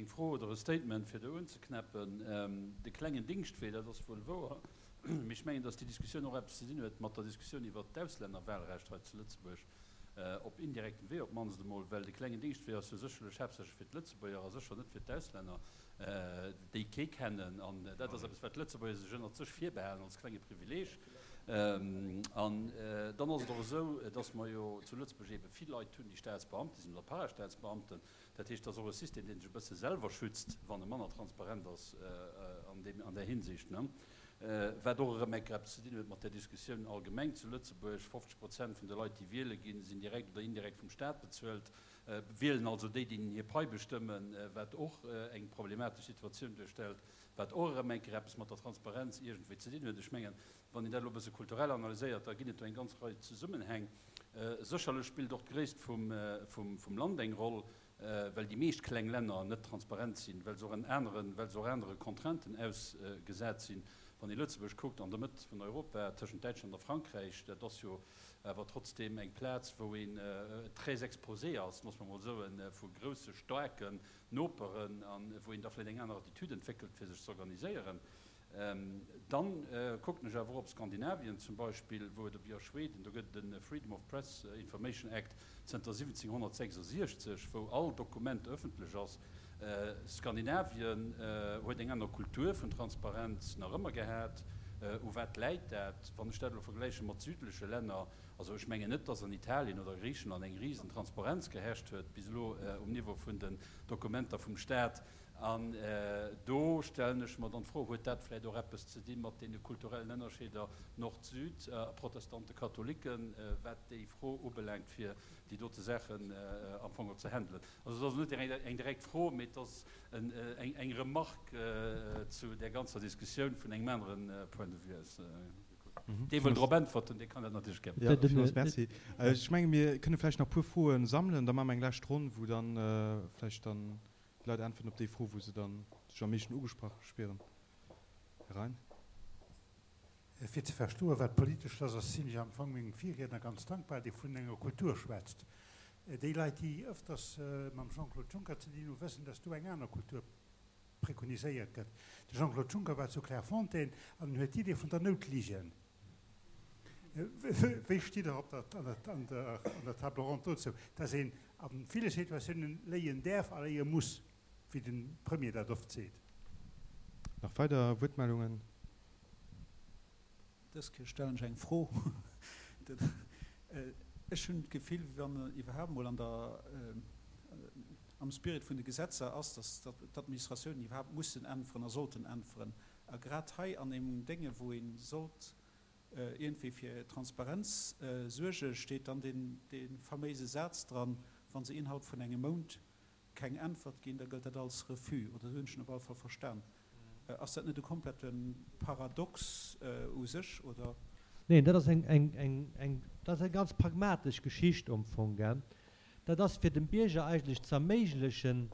Eng Fro oder e Statement, fir do unzeknäppen. De klengen Dingschtwee, dat ass wuel wouer, mee ech mengen, datt déi Diskussioun och eppes ze dinn huet mat der Diskussioun iwwert d'Auslännerwahlrecht hei zu Lëtzebuerg, op indirektem Wee op d'mannst emol, well de klengen Dingschtwee ass jo sécherlech haaptsächlech fir d'Lëtzebuerger a sécher net fir d'Auslänner, déi kee kennen. An dat ass eppes, wat d'Lëtzebuerger sech ënnert sech virbehalen als klenge Privileeg. An dann ass et och esou, datt mer jo zu Lëtzebuerg eebe vill Leit hunn, déi Staatsbeamte sinn oder Parastaatsbeamten. Dat heescht, et ass och e System, dee sech e bësse selwer schützt, wann e manner transparent ass an deem, an där Hinsicht, ne? Wat och erëm enker eppes ze dinn huet mat där Diskussioun allgemeng zu Lëtzebuerg, 50 Prozent vun de Leit, déi wiele ginn, sinn direkt oder indirekt vum Staat bezuelt, wielen also déi, deenen hir Pai bestëmmen, wat och eng problematesch Situatioun duerstellt, wat och erëm enker eppes mat der Transparenz iergendwéi ze dinn huet. Ech mengen, wann een dat elo e bësse kulturell analyséiert, da ginn et do eng ganz Rei Zesummenhäng. Sécherlech spillt och d'Gréisst vum Land eng Roll, well déi meescht kleng Länner net transparent sinn, well se och en aneren, well se och anere Contrainten ausgesat sinn. Wann ee Lëtzebuerg kuckt, an der Mëtt vun Europa, tëschent Däitschland a Frankräich, dat ass jo awer trotzdeem eng Plaz, wou een très exposé ass, loosse mer emol soen, vu grousse, staarken Noperen, a wou een da vläicht eng aner Attitude entwéckelt, fir sech z'organiséieren. Dann kucken ech awer och op Skandinavien zum Beispill, wou et, wéi a Schweden, do gëtt et e Freedom of Press Information Act zënter 1766, wou all Dokument ëffentlech ass. Skandinavien huet eng aner Kultur vun Transparenz nach ëmmer gehat. U wat läit dat, wann ech dat elo vergläiche mat südleche Länner? Also ech mengen net, dass an Italien oder Griichenland eng risen Transparenz geherrscht huet bis elo um Niveau vun den Dokumenter vum Staat. An do stellen ech mer dann d'Fro, Huet dat vläicht och eppes ze di mat deene kulturellen Ënnerscheeder Nord-Süd a Protestante-Katholiken, wat déi Fro ubelaangt, fir déi dote Saachen am Fong och ze handelen? Also et ass net eng direkt Fro, mee et ass eng Remarque zu där ganzer Diskussioun vun engem anere Point de vue aus gekuckt. Dee wëll drop äntwerten, dee kann dat natierlech gär. Jo, villmools Merci. Ech menge mir kënne vläicht nach e puer Froe sammelen, da maache mer eng lescht Ronn, wou dann vläicht dann Déi Leit äntweren op déi Fro, wou se dann sech am meeschten ugesprach spieren. Här Rein. Fir ze verstoen, wat politesch ass, ass, sinn ech am Fong mengem Virriedner ganz dankbar, dee vun enger Kultur schwätzt. Déi Leit, déi ëfters mam Jean-Claude Juncker ze dinn hunn, wëssen, dass do eng aner Kultur prekoniséiert gëtt. De Jean-Claude Juncker war zu Clairefontaine an en huet d'Idee vun der Noutligen. Wéi stitt Der op der, an der Table ronde dozou, dass een a ville Situatiounen léien däerf a léie muss, wéi de Premier dat oft seet? Nach weider Wuertmeldungen? Dës Kéier stellen ech eng Fro. Ech hunn d'Gefill, wéi wann iwwerhaapt emol an der, am Spirit vun de Gesetzer ass, dass d'Administratiounen iwwerhaapt mussen äntweren a sollten äntweren. A grad hei an engem Dénge wou ee sollt iergendwéi fir Transparenz suergen, steet dann dee faméise Saz dran, Wa se innerhalb vun engem Mount keng Äntwert ginn, da gëllt dat als Refus. Oder esou hunn ech en op alle Fall verstan. Ass dat net e komplette Paradox u sech, oder? Neen, dat ass eng, dat ass eng ganz pragmatesch Geschicht am Fong. Dat ass fir dem Bierger eigentlech ze erméiglechen,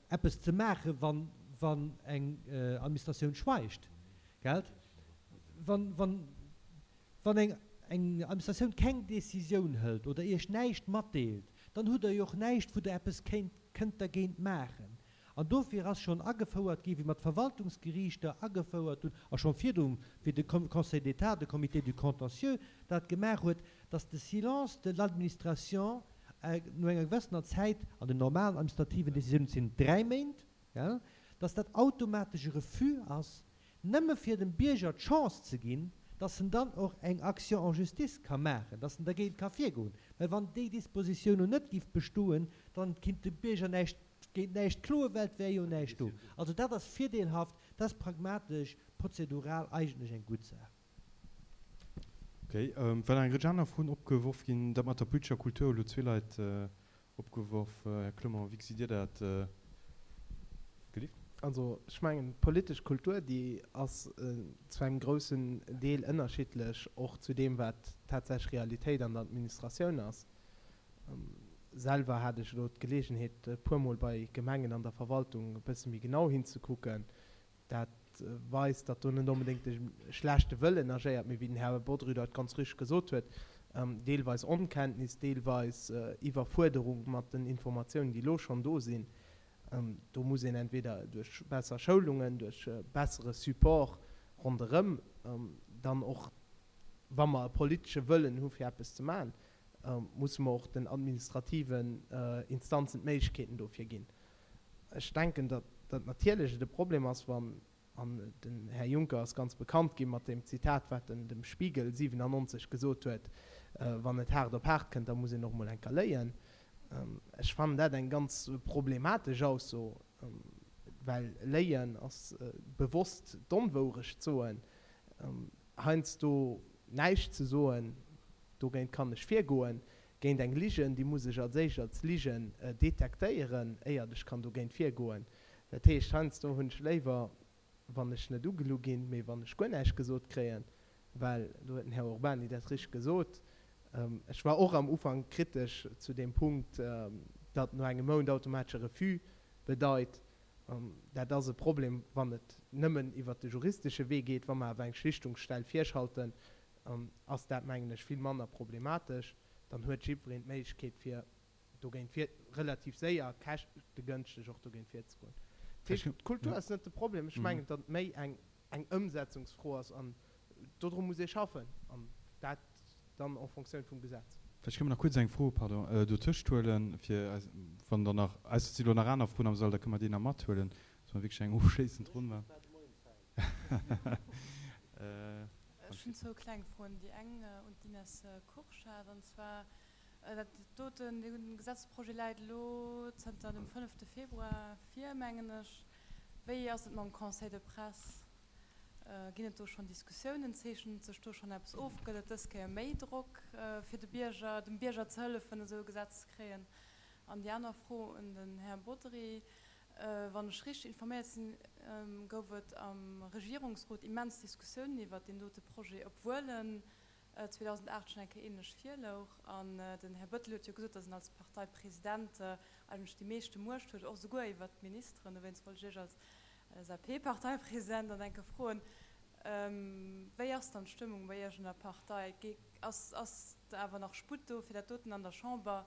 eppes ze maachen, wann, wann eng Administratioun schweigt, gelt? Wann, wann, wann eng, eng Administratioun keng Décisioun hëlt oder Iech näischt matdeelt, dann hutt Der jo och näischt, wou Der eppes kéint, kënnt dergéint maachen. An dofir ass schonn agefouert ginn, wéi mer d'Verwaltungsgeriichter agefouert hunn, a schonn virdru wéi de Conseil d'État, de Comité du contentieux dat gemaach huet, dass de Silence de l'administration no enger gewëssener Zäit, an den normalen administrativen Décisiounen sinn et 3 Méint, dass dat automatesch e Refus ass, nëmme fir dem Bierger d'Chance ze ginn, dass en dann och eng Action en justice ka maachen, dass en dergéint ka virgoen. Well wann déi Dispositioun elo net géif bestoen, dann kinnt de Bierger näischt Géint näischt kloe well et wär jo näischt do. Also dat ass virdeelhaft, dat ass pragmatesch, prozedural eigentlech eng gutt Saach. Ok, well nach eng Rëtsch aner Froen opgeworf ginn, dat mat der politescher Kultur hu lo zwee Leit opgeworf. Här Clement, wéi gesitt Dir dat? Gelift? Also ech mengen, d'politesch Kultur, déi ass zu engem groussen Deel ënnerschiddlech och zu deem, wat tatsächlech Realitéit an der Administratioun ass. Selwer hat ech elo d'Geleegenheet e puer Mol bei Gemengen an der Verwaltung e bësse méi genau hinzekucken. Dat weist, datt do net onbedéngt e schlechte Wëllen agéiert, mee wéi den Här Bodry dat ganz richtig gesot huet, deelweis Onkenntnis, deelweis Iwwerfuerderung mat den Informatiounen, déi elo schonn do sinn. Do muss een entweder duerch besser Schoulungen, duerch bessere Support ronderëm dann och, wa mer e politesche Wëllen hu fir eppes ze maachen, musse mer och den administrativen Instanzen d'Méiglechkeeten dofir ginn. Ech denken, datt natierlech et e Problem ass, wann, an den Här Juncker ass ganz bekannt gi mat deem Zitat, wat en dem Spiegel 97 gesot huet, Wann et haart op haart kënnt, da muss een och mol eng Kéier léien. Ech fannen dat eng ganz problematesch Ausso, well léien ass bewosst d'Onwourecht soen, heiansdo näischt ze soen, dogéint kann ech virgoen. Géint eng Ligen, déi muss ech als éischt als Ligen detektéieren, éiert ech kann dogéint virgoen. Dat heescht, heiansdo hunn ech léiwer, wann ech net ugelu ginn, mee wann ech guer näischt gesot kréien, well do huet den Här Urbany dat richteg gesot, ech war och am Ufank kritesch zu deem Punkt, datt no engem Mount automatesche Refus bedeit. Dat ass e Problem, wann et nëmmen iwwert de juristesche Wee geet. Wa mer awer eng Schlichtungsstell virschalten, ass dat, mengen ech, vill manner problematesch. Dann huet jiddwereen d'Méiglechkeet, fir dogéint vir, relativ séier a käschtegënschteg och dogéint virzegoen. Dat heescht, d'Kultur ass net de Problem. Ech mengen, datt et méi eng eng Ëmsetzungsfro ass an dodru muss ee schaffen an dat dann en Fonctioun vum Gesetz. Vläicht kënne mer nach kuerz eng Fro, pardon, dotëscht huelen, fir eis, wann der nach, ausser et si lo nach aner Froen am Sall, da kënne mer déi nach mathuelen, dass mer wierklech eng ofschléissend Ronn maachen. Ech hunn zwou kleng Froen. Déi eng un d'Ines Kurschat, an zwar, Dat doten, dee Gesetzesprojet läit elo zënter dem fënnefte Februar vir, mengen ech. Wéi ass et mam Conseil de presse? Ginn et do schonn Diskussiounen? Zeechent sech do schonn eppes of? Gëtt et dës Kéier méi Drock, fir de Bierger, dem Bierger ze hëllefen, esou e Gesetz ze kréien? An déi aner Fro un den Här Bodry, Wann ech richteg informéiert sinn, gouf et am Regierungsrot immens Diskussiounen iwwert deen dote Projet, obwuel en 2008 schonn eng Kéier ähnlech virlouch. An den Här Bettel huet jo gesot, datt en als Parteipresident eigentlech déi meeschte Muecht huet, och souguer iwwert d'Ministeren. Dowéinst wollt ech Iech als LSAP-Parteipresident dann eng Kéier froen, Wéi ass dann d'Stëmmung bei Iech an der Partei? Ass ass awer nach Sputt do, fir dat doten an der Chamber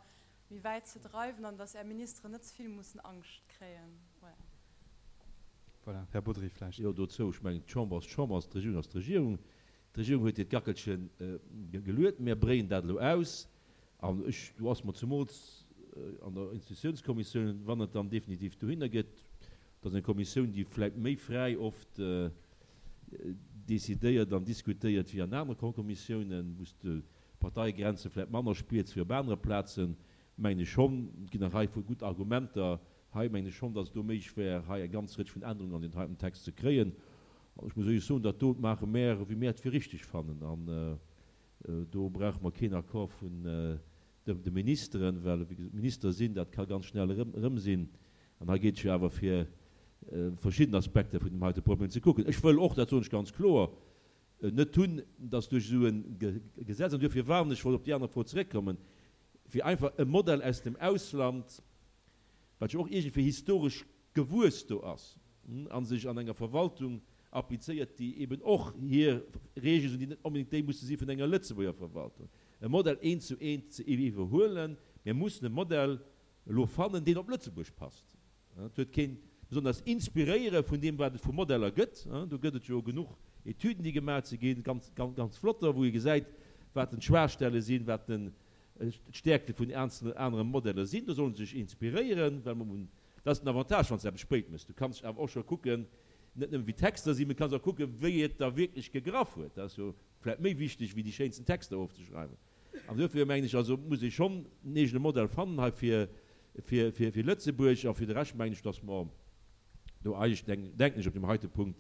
méi wäit ze dreiwen an datt Är Ministeren net ze vill mussen Angscht kréien? Voilà. Voilà, Här Bodry vläicht. Jo, dozou, ech mengen, d'Chamber ass d'Chamber, d'Regierung ass d'Regierung. D'Regierung huet hiert Gackelche geluet. Mär bréien dat elo aus. An ech, do ass mer zemools an der Institutiounskommissioun, wann et dann definitiv dohinner geet, dat ass eng Kommissioun, déi vläicht méi fräi oft decidéiert an diskutéiert wéi an anere Kommissiounen, wou s de d'Parteiegrenze vläicht manner spiers wéi op anere Plazen, mengen ech schonn, et ginn eng Rei vu gutt Argumenter hei, mengen ech schonn, datt et do méiglech wär, hei eng ganz Rëtsch vun Ännerungen an deen heiten Text ze kréien. An ech muss éierlech soen, dat do maache mär, wéi mär et fir richteg fannen. An do brauche mer keen Accord vun de Ministeren, well, wéi gesot, Minister sinn, dat ka ganz schnell erëm sinn. An hei geet et jo awer fir verschidden Aspekter vun deem heite Problem ze kucken. Ech wëll och, dat soen ech ganz kloer, net hunn, dass duerch esou e Gesetz, an duerfir warnen ech, wollt op déi aner Fro zeréckkommen, fir einfach e Modell aus dem Ausland, wat jo och iergendwéi historesch gewuess do ass a sech an enger Verwaltung applizéiert, déi eben och hir Reegelen hunn, déi net onbedéngt déi musse si vun enger Lëtzebuerger Verwaltung, e Modell eent zu eent ze iwwerhuelen. Mir mussen e Modell elo fannen, deen op Lëtzebuerg passt. Et huet keen besonders inspiréiere vun deem, wat et vu Modeller gëtt. Do gëtt et jo genuch Etüden, déi gemaach si ginn, ganz, ganz flotter, wou ee gesäit, wat denn d'Schwaachstelle sinn, wat denn d'Stäerkte vun eenzelnen anere Modeller sinn. Do solle se sech inspiréieren, well mer hunn, dat ass den Avantage, wann s de eppes spéit méchs, du kanns awer och scho kucken, net nëmmen wéi d'Texter sinn, mee du kanns och kucken, wéi et da wierklech gegraff huet. Dat ass jo vläicht méi wichteg, wéi déi schéinsten Texter ofzeschreiwen. An duerfir mengen ech also, muss ee schonn en eegene Modell fannen hei fir, fir, fir, fir Lëtzebuerg. A fir de Rescht mengen ech, dass mer do eigentlech, denken ech, op deem heite Punkt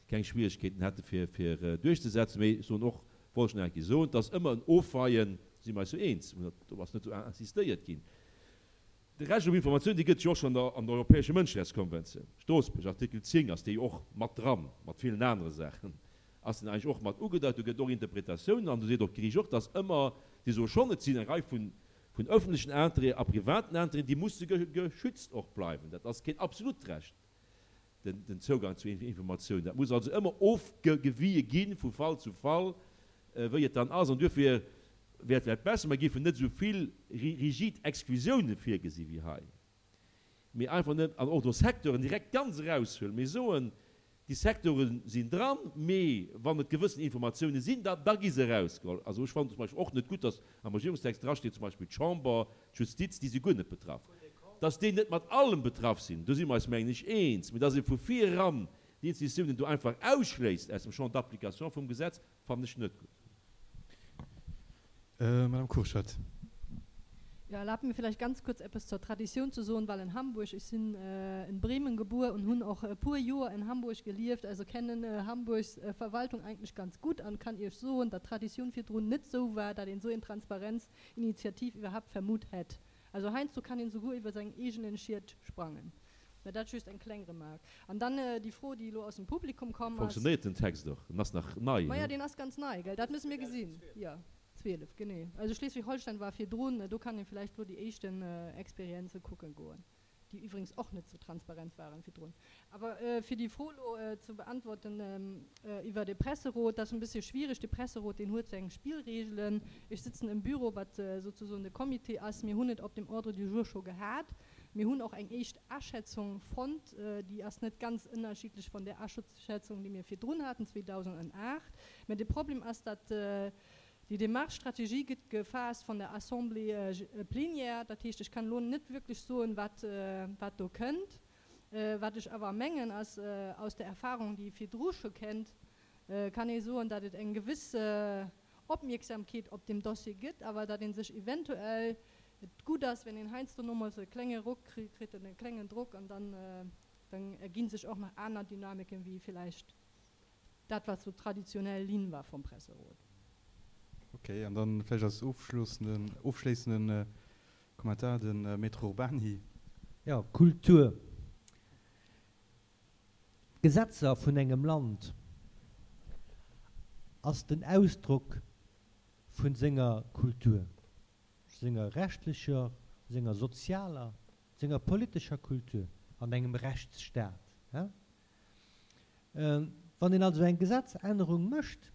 keng Schwierigkeeten hätte fir, fir duerchzesetzen. Mee ech soen och, wollt ech nach eng Kéier soen, et ass ëmmer en Ofweien, do si mer eis jo eens, do ass net esou insistéiert ginn, De Recht op Informatioun, dee gëtt et jo och schonn an der Europäescher Mënscherechtskonventioun, Stroossbuerg, Artikel 10 ass dee jo och mat dran, mat villen anere Saachen ass deen eigentlech och mat ugedeit. Do gëtt et och Interpretatiounen an do seet och d'Geriicht och, dass ëmmer, déi soe schonn, et sinn eng Rei vun öffentlechen Intérêt a privaten Intérêten, déi musse geschützt och bleiwen. Dat ass keen absolut Recht. den Zougang zu Informatiounen. Dat muss also ëmmer ofgewie gi vu Fall zu Fall, wéi et dann ass. An duerfir wär et vläicht besser, mer géifen net esou vill rigid Exklusiounen virgesi wéi hei. Mee einfach net an och do Secteuren direkt ganz eraushuelen, mee soen, déi Secteure sinn dran, mee wann et gewëssen Informatioune sinn, da da gi se erausgeholl. Also ech fannen zum Beispill och net gutt, datt am Regierungstext drasteet zum Beispill d'Chamber, d'Justiz, déi si guer net betraff. Datt déi net mat allem betraff sinn, do si mer eis mengen ech eens, mee datt ee vu vir eran déi Institutiounen do einfach ausschléisst aus dem Champ d'application vum Gesetz, fannen ech net gutt. Madame Kurschat. Jo, erlaabt mir vielleicht ganz kurz eppes zur Traditioun ze soen, well in Hamburg, ech sinn in Bremen gebuer und hunn och e puer Joer in Hamburg gelieft, also kennen Hamburgs Verwaltung eigentlich ganz gut an kann Iech soen, datt d'Traditioun virdrun net sou war, datt een sou een Transparenzinitiativ iwwerhaapt vermutt hätt. Also heiansdo kann een souguer iwwer säin eegenen Schied sprangen. Mä dat just eng kleng Remark. An dann déi Fro, déi elo aus dem Publikum komm ass. Fonctionnéiert den Text och? En ass nach nei, Maja, deen ass ganz nei, gell? Dat musse mir gesinn. Jo, 12, genee. Also Schleswig-Holstein war virdrun. Do kann ee vläicht elo déi éischten Experienze kucken goen, déi iwwregens och net sou transparent waren virdrun. Awer fir déi Fro elo ze beantworten iwwer de Presserot, dat ass en bëssche schwierig. De Presserot, deen huet seng Spillregelen. Ech sëtzen am Büro, wat souzesoen de Comité ass. Mir hunn et op dem Ordre du jour scho gehat. Mir hunn och eng éischt Aschätzung fonnt, déi ass net ganz ënnerschiddlech von där Aschätzung, déi mir virdrun haten, 2008. Mä de Problem ass, datt déi Démarche Strategie gëtt gefaasst von der Assemblée plénière. Dat heescht, ech kann elo net wierklech soen, wat wat do kënnt. Wat ech awer mengen ass, aus der Erfahrung, déi ee virdru scho kennt, kann ee soen, datt et eng gewëss Opmierksamkeet op deem Dossier gëtt, awer datt ee sech eventuell, et gutt ass, wenn een heiansdo nomools e klenge Ruck kritt, e klengen Drock, an dann erginn sech och nach aner Dynamiken, wéi villäicht dat, wat sou traditionell Linn war vum Presserot. Ok, an dann vläicht als ofschléissenden Kommentar de Maître Urbany. Jo, Kultur. D'Gesetzer vun engem Land ass den Ausdrock vun senger Kultur, senger rechtlecher, senger sozialer, senger politescher Kultur an engem Rechtsstaat. Wann een also eng Gesetzännerung mécht,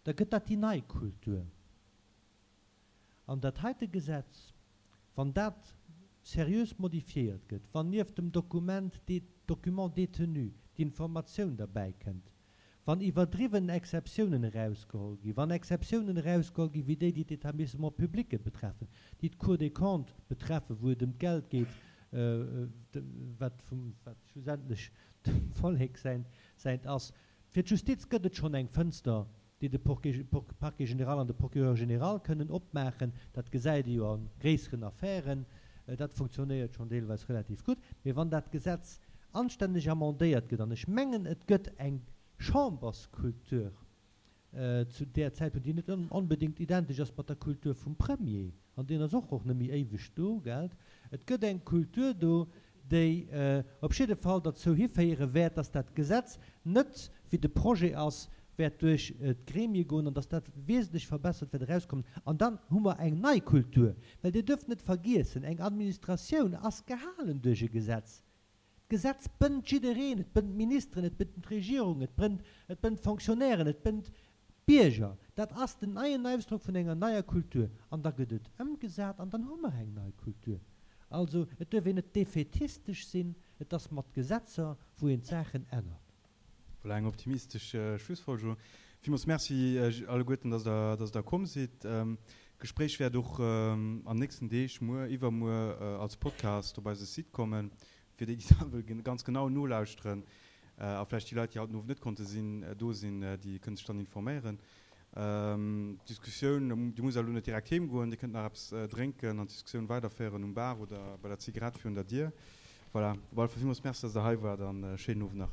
da gëtt dat déi nei Kultur. An dat heite Gesetz, wann dat seriös modifiéiert gëtt, wann nieft dem Dokument, Document détenu, d'Informatioun derbäi kënnt, wann iwwerdriwwen Exceptiounen erausgeholl ginn, wann Exceptiounen erausgeholl gi wéi déi, déi d'Établissements publics betreffen, déi d'Cour des Comptes betreffen, wou et ëm d'Geld geet, wat vum, wat schlussendlech dem Vollek säint ass. Fir d'Justiz gëtt et schonn eng Fënster, déi de Parquet général an de Procureur général kënnen opmaachen. Dat gesäit ee jo a gréisseren Affären. Dat funktionéiert schonn deelweis relativ gutt. Mee wann dat Gesetz anstänneg amendéiert gëtt, an ech mengen, et gëtt eng Chamberskultur zu där Zäitpunkt, déi net onbedéngt identesch ass mat der Kultur vum Premier, an deen ass och och net méi éiweg do, gelt, et gëtt eng Kultur do, déi op jidde Fall derzou hiféiere wäert, dass dat Gesetz net, wéi de Projet ass, wäert duerch d'Gremie goen an dass dat wesentlech verbessert wäert erauskommen. An dann hu mer eng nei Kultur, well Dir dürft net vergiessen, eng Administratioun ass gehalen duerch e Gesetz. D'Gesetz bënnt jiddereen, et bënnt d'Ministeren, et bënnt d'Regierung, et bënnt, et bënnt d'Fonctionnairen, et bënnt d'Bierger. Dat ass den neien Ausdrock vun enger neier Kultur. An da gëtt et ëmgesat an dann hu mer eng nei Kultur. Also, et duerf een net defätistesch sinn, et ass mat Gesetzer, wou een d'Saachen ännert. Voilà, eng optimistesch Schlussfolgerung. Villmools Merci alleguerten, dass Der, dass Der komm sidd. D'Gespréich wäert och an nächsten Deeg, muer, iwwermuer, als Podcast op eise Site kommen, fir déi, déi da wëlle ganz genau nolauschteren. A vläicht déi Leit, déi haut den Owend net konnte sinn, do sinn, déi kënne sech dann informéieren. D'Diskussioun, Dir musst elo net direkt heem goen, Dir kënnt nach eppes drénken an d'Diskussioun weiderféieren um Bar oder bei der Zigarett virun der Dier. Voilà, op alle Fall villmools Merci, dass Der hei waart an e schéinen Owend nach.